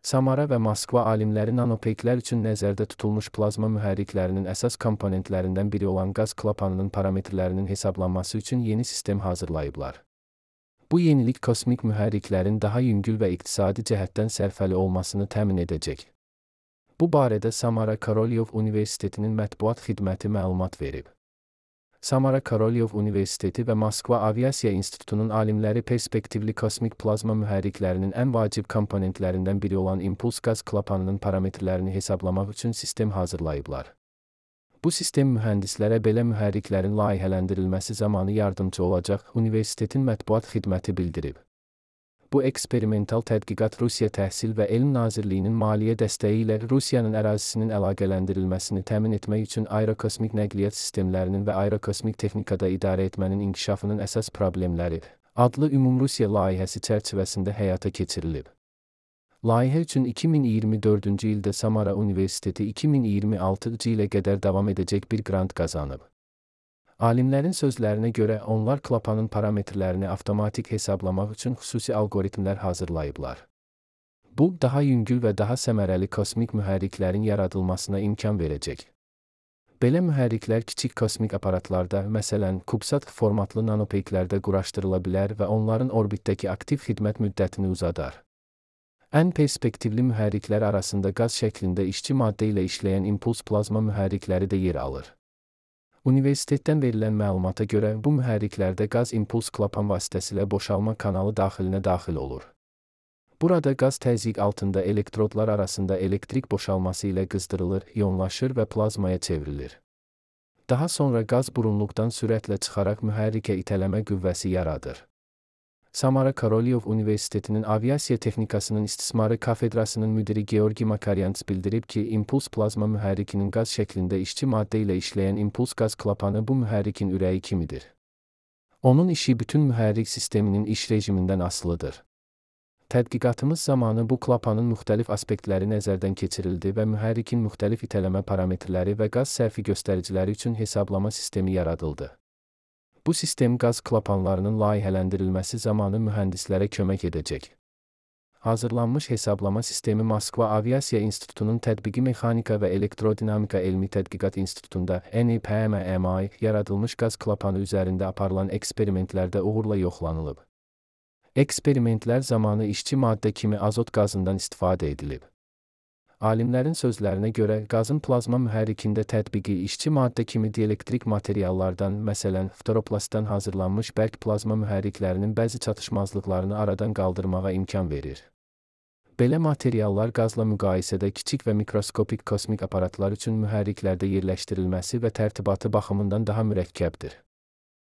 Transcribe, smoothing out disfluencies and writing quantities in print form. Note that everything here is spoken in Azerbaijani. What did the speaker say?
Samara və Moskva alimləri nanopeyklər üçün nəzərdə tutulmuş plazma mühərriklərinin əsas komponentlərindən biri olan qaz klapanının parametrlərinin hesablanması üçün yeni sistem hazırlayıblar. Bu yenilik kosmik mühərriklərin daha yüngül və iqtisadi cəhətdən sərfəli olmasını təmin edəcək. Bu barədə Samara Korolyov Universitetinin mətbuat xidməti məlumat verib. Samara Korolyov Universiteti və Moskva Aviasiya İnstitutunun alimləri perspektivli kosmik plazma mühərriklərinin ən vacib komponentlərindən biri olan impuls qaz klapanının parametrlərini hesablamaq üçün sistem hazırlayıblar. Bu sistem mühəndislərə belə mühərriklərin layihələndirilməsi zamanı yardımcı olacaq, universitetin mətbuat xidməti bildirib. Bu eksperimental tədqiqat Rusiya Təhsil və Elm Nazirliyinin maliyyə dəstəyi ilə Rusiyanın ərazisinin əlaqələndirilməsini təmin etmək üçün aerokosmik nəqliyyat sistemlərinin və aerokosmik texnikada idarə etmənin inkişafının əsas problemləri adlı Ümumrusiya layihəsi çərçivəsində həyata keçirilib. Layihə üçün 2024-cü ildə Samara Universiteti 2026-cı ilə qədər davam edəcək bir qrant qazanıb. Alimlərin sözlərinə görə onlar klapanın parametrlərini avtomatik hesablamaq üçün xüsusi algoritmlər hazırlayıblar. Bu, daha yüngül və daha səmərəli kosmik mühərriklərin yaradılmasına imkan verəcək. Belə mühərriklər kiçik kosmik aparatlarda, məsələn, CubeSat formatlı nanopeyklərdə quraşdırıla bilər və onların orbitdəki aktiv xidmət müddətini uzadar. Ən perspektivli mühərriklər arasında qaz şəklində işçi maddə ilə işləyən impuls plazma mühərrikləri də yer alır. Universitetdən verilən məlumata görə bu mühərriklərdə qaz impuls klapan vasitəsilə boşalma kanalı daxilinə daxil olur. Burada qaz təzyiq altında elektrodlar arasında elektrik boşalması ilə qızdırılır, ionlaşır və plazmaya çevrilir. Daha sonra qaz burunluqdan sürətlə çıxaraq mühərrikə itələmə qüvvəsi yaradır. Samara Korolyov Universitetinin Aviasiya Texnikasının İstismarı Kafedrasının müdiri Georgi Makaryants bildirib ki, impuls plazma mühərrikinin qaz şəklində işçi maddə ilə işləyən impuls qaz klapanı bu mühərrikin ürəyi kimidir. Onun işi bütün mühərrik sisteminin iş rejimindən asılıdır. Tədqiqatımız zamanı bu klapanın müxtəlif aspektləri nəzərdən keçirildi və mühərrikin müxtəlif itələmə parametrləri və qaz sərfi göstəriciləri üçün hesablama sistemi yaradıldı. Bu sistem qaz klapanlarının layihələndirilməsi zamanı mühəndislərə kömək edəcək. Hazırlanmış hesablama sistemi Moskva Aviasiya İnstitutunun Tətbiqi Mexanika və Elektrodinamika Elmi Tədqiqat İnstitutunda NIPMMI yaradılmış qaz klapanı üzərində aparılan eksperimentlərdə uğurla yoxlanılıb. Eksperimentlər zamanı işçi maddə kimi azot qazından istifadə edilib. Alimlərin sözlərinə görə qazın plazma mühərrikində tətbiqi işçi maddə kimi dielektrik materiallardan, məsələn, fluoroplastdan hazırlanmış bərk plazma mühərriklərinin bəzi çatışmazlıqlarını aradan qaldırmağa imkan verir. Belə materiallar qazla müqayisədə kiçik və mikroskopik kosmik aparatlar üçün mühərriklərdə yerləşdirilməsi və tərtibatı baxımından daha mürəkkəbdir.